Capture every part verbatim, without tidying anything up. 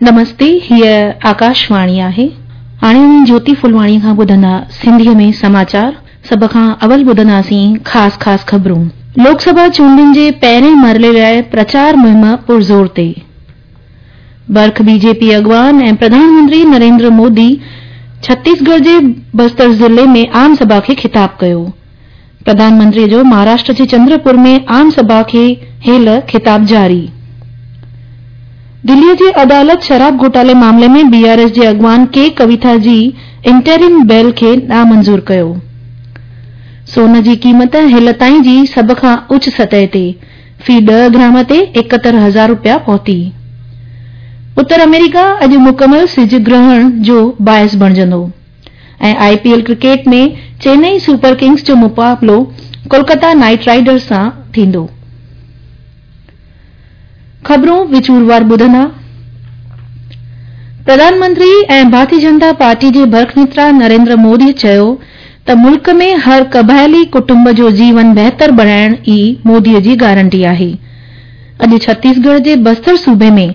نمستي، هيء آڪاشواڻي آهي. هاڻي اوهين جوتي ڦلواڻيء کان ٻڌندا سنڌيء ۾ سماچار. سڀ کان اول ٻڌنداسين خاص خاص خبرون. لوڪ سڀا چونڊن جي پهرين مرحلي لاء پرچار مهم پرزور تي. برک بي جي پي اڳواڻ ۽ پرڌان منتري نريندر مودي ڇتيسڳڙهه جي بستر ضلعي ۾ عام سڀا کي خطاب ڪيو. پرڌان منتري جو مهاراشٽر جي چندرپور ۾ عام سڀا کي هيل خطاب جاري. دلي جي عدالت شراب گهوٽالي معاملي ۾ بي آر ايس جي اڳواڻ ڪي ڪويٿا جي انٽريم بيل کي نامنظور ڪيو. سون جي قيمت هيل تائين جي سڀ کان اچ سطح تي في ڏهه گرام تي ايڪهتر هزار رپيا پهتي. اتر آمريڪا اڄ مڪمل سج گرهڻ جو باعث بڻجندو ۽ I P L cricket ۾ Chennai super kings جو مقابلو ڪولڪتا نائيٽ رائيڊرز سان ٿيندو. خبرون وچوروار ٻڌندا. پرڌان منتري ۽ ڀارتي جنتا پارٽي جي برک نيتا نريندر مودي چيو ته ملڪ ۾ هر قبائلي ڪٽنب جو جيون بهتر بڻائڻ ئي مودي جي گارنٽي آهي. اڄ ڇتيسڳڙهه جي بستر صوبي ۾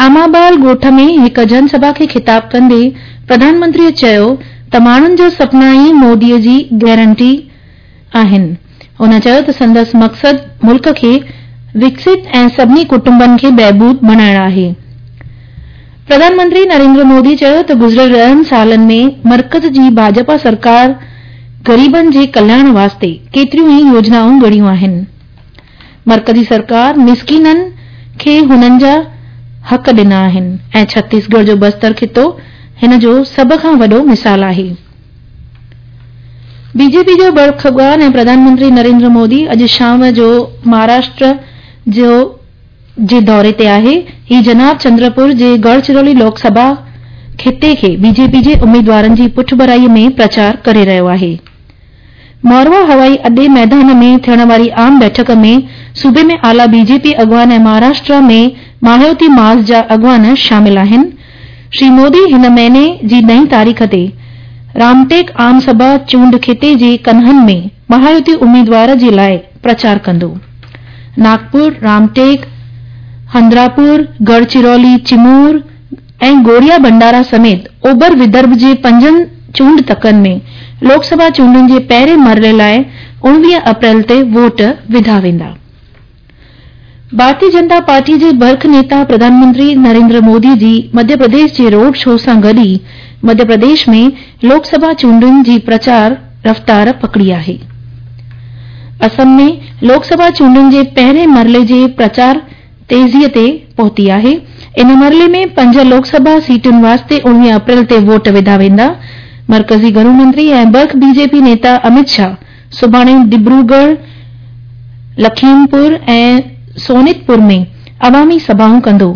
آمابال ڳوٺ ۾ هڪ جن سڀا کي خطاب ڪندي پرڌان منتري چيو ته ماڻهن جا سپنا ئي مودي جي گارنٽي آهن. هن چيو ته سندس مقصد ملڪ کي وڪست ۽ سڀني ڪٽنبن کي بهبود بڻائڻ آهي. پرڌان منتري نريندر مودي چيو ته گذريل ڏهن سالن ۾ مرڪز جي ڀاجپا سرڪار غريبن جي ڪلياڻ واسطي ڪيتريون ئي يوجنائون گهڙيون آهن. مرڪزي سرڪار مسڪينن کي هنن جا حق ڏنا آهن ۽ ڇتيسڳڙهه جو بستر خطو هن جو سڀ کان وڏو مثال آهي. بي جي پي جو برک اڳواڻ ۽ پرڌان منتري نريندر مودي اڄ شام جو مهاراشٽر جو جي دوري تي آهي. هي جناب چندرپور جي گڙچرولي لوڪ سڀا خطي کي بي جي پي جي اميدوارن جي پٺڀرائي ۾ پرچار ڪري رهيو آهي. موروا هوائي اڏي ميدان ۾ ٿيڻ واري عام بيٺڪ ۾ صوبي ۾ اعليٰ بي جي پي اڳواڻ ۽ مهاراشٽر ۾ مهايوتي محاذ جا اڳواڻ شامل آهن. شري مودي هن مهيني جي ڏهين تاريخ تي رامٽيڪ عام سڀا چونڊ خطي جي ڪنهن ۾ مهايوتي اميدوار جي لاء پرچار ڪندو. ناگپور، رامٽيڪ، هندراپور، گڙچرولي، چمور ۽ گوريا ڀنڊارا سميت اوڀر ودرڀ جي پنجن چونڊ تڪن ۾ لوڪ سڀا چونڊن جي پهرين مرحلي لاء اڻويهه اپريل تي ووٽ وڌا ويندا. ڀارتي جنتا پارٽي جي برک نيتا پرڌان منتري نريندر مودي جي مڌيه پرديش جي روڊ شو سان گڏ ئي مڌيه پرديش ۾ لوڪ سڀا چونڊن جي پرچار رفتار پڪڙي آهي. اسم ۾ لوڪ سڀا چونڊن جي پهرين مرحلي جي پرچار تيزي تي پهتي آهي. ان مرحلي ۾ پنج لوڪ سڀا سيٽن واسطي اڻويهه اپريل تي ووٽ وڌا ويندا. مرڪزي گهرو منتري ۽ برک بي جي پي نيتا امت شاهه سڀاڻي ڊبروڳڙهه، لکيمپور ۽ سونتپور ۾ عوامي سڀائون ڪندو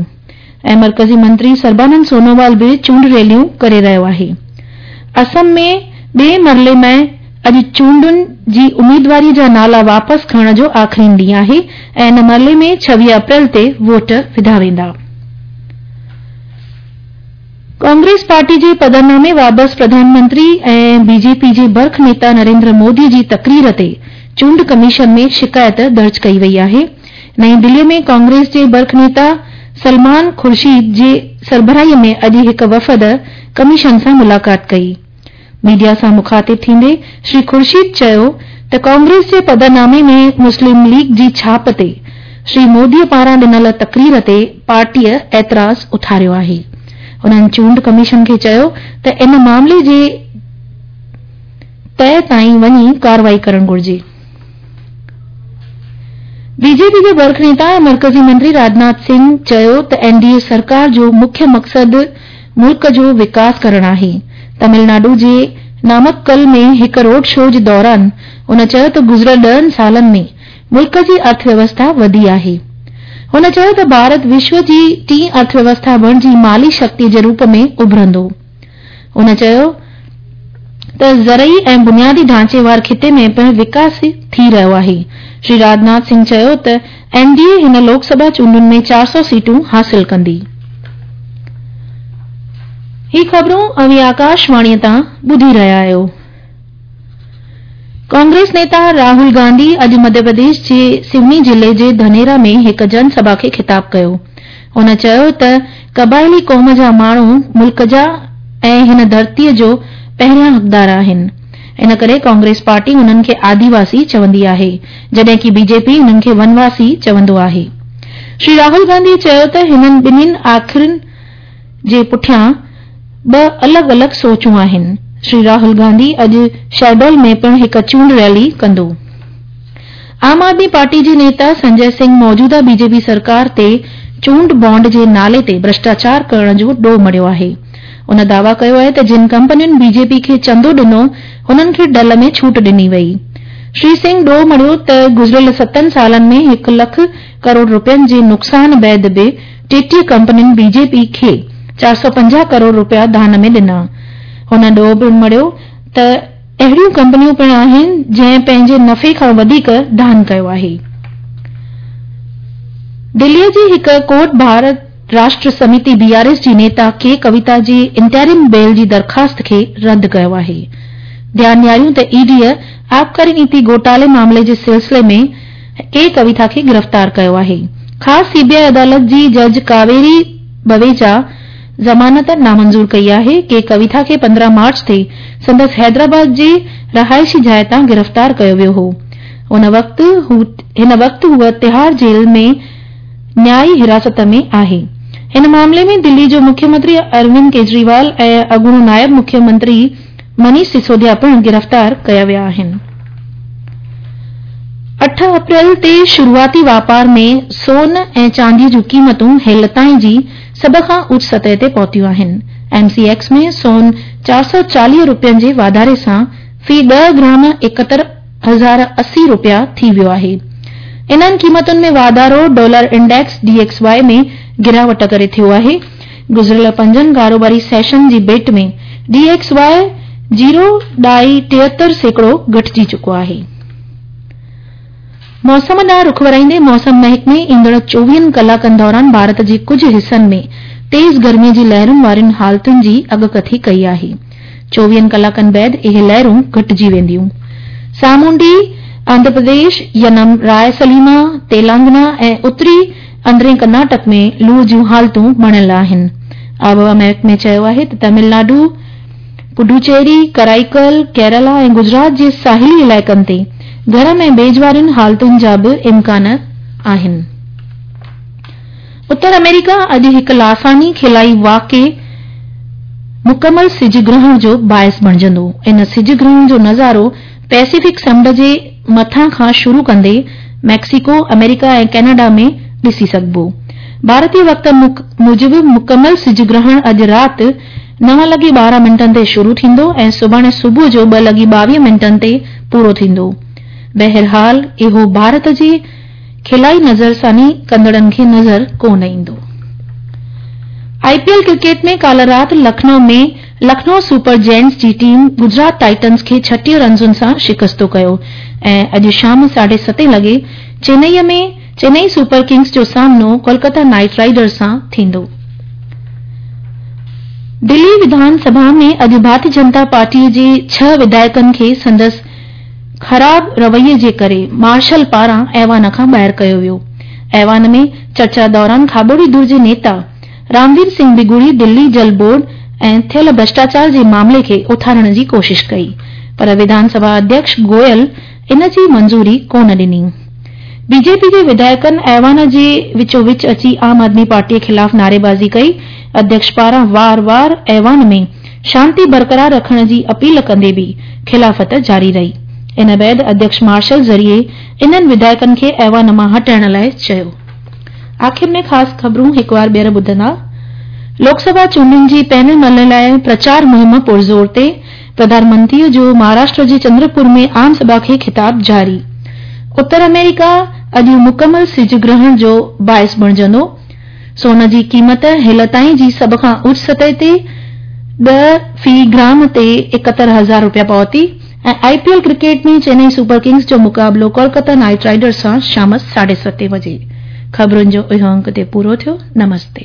۽ مرڪزي منتري سربانند سونووال به چونڊ ريليون ڪري رهيو آهي. اسم ۾ ٻئي مرحلي ۾ اڄ چونڊن جي اميدواري جا نالا واپس کڻڻ جو آخرين ڏينهن آهي ۽ ان مرحلي ۾ ڇويهه اپريل تي ووٽ وڌا ويندا. ڪانگريس پارٽي جي پڌرنامي بابت پرڌان منتري ۽ بي جي پي جي برک نيتا نريندر مودي جي تقرير تي چونڊ ڪميشن ۾ شڪايت درج ڪئي وئي آهي. نئين دلي ۾ ڪانگريس جي برک نيتا سلمان خورشيد جي سربراهي ۾ اڄ هڪ وفد ڪميشن سان ملاقات ڪئي. ميڊيا سان مخاطب ٿيندي شري خورشيد چيو ته ڪانگريس جي پڌرنامي ۾ مسلم ليگ جي ڇاپ تي شري مودي پاران ڏنل تقرير تي پارٽيء اعتراض اٿاريو آهي. هنن چونڊ ڪميشن کي چيو ته ان معاملي جي تهه تائين وڃي ڪارروائي ڪرڻ گهرجي. بي جي پي جي برک نيتا ۽ مرڪزي منتري راجناٿ سنگهه چيو ته اين ڊي اي سرڪار جو مکيه مقصد ملڪ جو وڪاس ڪرڻ آهي. تامل ناڊو جي نامڪل ۾ هڪ روڊ شو جي دوران هن چيو ته گذريل ڏهن سالن ۾ ملڪ جي ارٿ ويوسٿا وڌي آهي. هن چيو ته ڀارت وشو جي ٽين ارٿ ويوسٿا بڻجي مالي شڪتي جي روپ ۾ اڀرندو. هن چيو ته زرعي ۽ بنيادي ڍانچي وار خطي ۾ پڻ وڪاس ٿي رهيو آهي. شري راجناٿ سنگهه چيو ته اين ڊي اي هن لوڪ سڀا چونڊن ۾ چار سؤ سيٽون حاصل ڪندي. هي خبرون اوهين آڪاشواڻي تان ٻڌي رهيا آهيو. ڪانگريس نيتا راهول گانڌي اڄ مڌيه پرديش جي سيوني ضلعي جي ڌنيرا ۾ هڪ جن سڀا کي خطاب ڪيو. هن چيو ته قبائلي قوم جا ماڻهو ملڪ جا ۽ هن ڌرتيء جو پهريان حقدار آهن. ان ڪري ڪانگريس پارٽي انهن کي آديواسي چوندي آهي، جڏهن ڪي بي جي پي انهن کي ونواسي چوندو آهي. شري راهول گانڌي چيو ته هنن ٻنهين آکرن جي پٺيان ٻه الڳ الڳ سوچون آهن. شري راهول گانڌي اڄ شهڊول ۾ پڻ هڪ چونڊ ريلي ڪندو. عام آدمي پارٽي جي نيتا سنجي سنگهه موجوده بي جي پي سرڪار تي چونڊ بانڊ جي نالي تي ڀرشٽاچار ڪرڻ جو ڏوهه مڙهيو آهي. ان دعويٰ ڪيو آهي ته جن ڪمپنين بي جي پي کي چندو ڏنو انهن کي ڍل ۾ ڇوٽ ڏني وئي. شري سنگهه ڏوهه مڙهيو ته گذريل ستن سالن ۾ هڪ لک ڪروڙ رپين جي نقصان بعد به ٽيٽيهه ڪمپنين بي جي پي کي چار سؤ پنجاهه ڪروڙ رپيا دان ۾ ڏنا. هن ڏوهه پڻ مڙهيو ته اهڙيون ڪمپنيون پڻ آهن جنهن پنهنجي نفعي کان وڌيڪ دان ڪيو آهي. دليء جي هڪ court Bharat Rashtra Samiti B R S جي نيتا ڪي ڪويتا جي انٽرم بيل جي درخواست کي رد ڪيو آهي. ڌيان ڏياريون ته اي ڊيء آبڪاري نيتي گهوٽالي معاملي جي سلسلي ۾ ڪي ڪويتا کي گرفتار ڪيو آهي. خاص سي بي آء عدالت جي جج ڪاويري بويجا ضمانت نامنظور ڪئي آهي. ڪي ڪويتا کي پندرهن مارچ تي سندس حيدرآباد جي رهائشي جاء تان گرفتار ڪيو ويو هو. ان وقت هن وقت هوء تهاڙ جيل ۾ نيائي حراست ۾ آهي. هن معاملي ۾ دلي جو مکيه منتري اروند ڪيجريوال ۽ اڳوڻو نائب مکيه منتري منيش سسوديا پڻ گرفتار ڪيا ويا آهن. اٺ اپريل تي شروعاتي واپار ۾ سون ۽ چاندي جون قيمتون هيل تائين جي سڀ کان اوچ سطح تي پهتيون آهن. ايم سي ايڪس ۾ سون چار سؤ چاليهه رپين جي واڌاري سان في ڏهه گرام ايڪهتر هزار اسي رپيا ٿي ويو آهي. انهن قيمتن ۾ واڌارو dollar index D X Y ۾ گراوٽ ڪري ٿيو آهي. گذريل پنجن ڪاروباري سيشن جي ڀيٽ ۾ ڊي ايڪس واء زيرو ڏهائي ٽيهتر سيڪڙو گهٽجي چڪو آهي. موسم ڏانهن رخ ورائيندي موسم محڪمي ايندڙ چوويهن ڪلاڪن دوران ڀارت جي ڪجهه حصن ۾ تيز گرمي جي لهرن وارين حالتن جي اڳڪٿي ڪئي آهي. چوويهن ڪلاڪن بعد اهي لهرون گهٽجي وينديون. سامونڊي آنڌرا پرديش، ينم، راء سليما، تيلانگنا ۽ اتري اندرين ڪرناٽڪ ۾ لوء جون حالتون بڻيل آهن. آبهوا محڪمي چيو آهي ته تامل ناڊو، پڊوچيري، ڪرائيڪل، ڪيرالا ۽ گجرات جي ساحلي علائقن تي گرم ۽ ڀيڄ وارين حالتن جا به امڪان آهن. اتر آمريڪا اڄ هڪ لاثاني خلائي واقعي مڪمل سج گرهڻ جو باعث بڻجندو. ان سج گرهڻ جو نظارو پيسفڪ سمنڊ جي مٿان کان شروع ڪندي ميڪسيڪو، آمريڪا ۽ ڪئناڊا ۾ ڏسي سگهبو. ڀارتي وقت موجب مڪمل سج گرهڻ اڄ رات نو لڳي ٻارهن منٽن تي شروع ٿيندو ۽ سڀاڻي صبح جو ٻه لڳي ٻاويهه منٽن تي پورو ٿيندو. بهرحال اهو ڀارت جي خلائي نظرثاني ڪندڙن کي نظر ڪونه ايندو. آء پي ايل ڪرڪيٽ ۾ ڪالهه رات لکنؤ ۾ لکنؤ سپر جينٽس جي ٽيم گجرات ٽائٽنز کي ڇٽيهه رنسن سان شڪستو ڪيو ۽ اڄ شام ساڍي ستين لڳي چينئي ۾ چينئي سپر ڪنگز جو سامنو ڪولڪتا نائيٽ رائيڊرز سان ٿيندو. دلي وڌان سڀا ۾ اڄ ڀارتي جنتا پارٽي جي ڇهه وڌايڪن کي سندس خراب رويي جي ڪري مارشل پاران ايوان کان ٻاهر ڪيو ويو. ايوان ۾ چرچا دوران کاٻوڙي ڌر جي نيتا راموير سنگهه بگوڙي دلي جل بورڊ ۽ ٿيل ڀرشٽاچار جي معاملي کي اٿارڻ جي ڪوشش ڪئي پر وڌان سڀا اڌيڪش گويل ان جي منظوري ڪونه ڏني. بي جي پي جي وڌايڪن ايوان جي وچو وچ اچي عام آدمي پارٽي خلاف نعريبازي ڪئي. اڌيڪش پاران وار وار ايوان ۾ شانتي برقرار رکڻ جي اپيل ڪندي به خلافت جاري رهي. ان بعد اڌيڪش مارشل ذريعي انهن وڌايڪن کي ايوان مان هٽائڻ لاء چيو. آخر ۾ خاص خبرون هڪ وار ٻيهر ٻڌندا. لوڪ سڀا چونڊن جي پهرين مرحلي لاء پرچار مهم پرزور تي، پرڌان منتري جو مهاراشٽر جي چندرپور ۾ عام سڀا کي خطاب جاري. اتر آمريڪا اڄ مڪمل سج گرهڻ جو باعث بڻجندو. سون جي قيمت هيل تائين جي سڀ کان اوچ سطح تي ڏهه في گرام تي ايڪهتر هزار رپيا پهتي ۽ I P L cricket ۾ Chennai super kings جو مقابلو ڪولڪتا نائيٽ رائيڊرز سان شام ساڍي ستين بجي. خبرن جو اهو انڪ هتي پورو ٿيو. نمستي.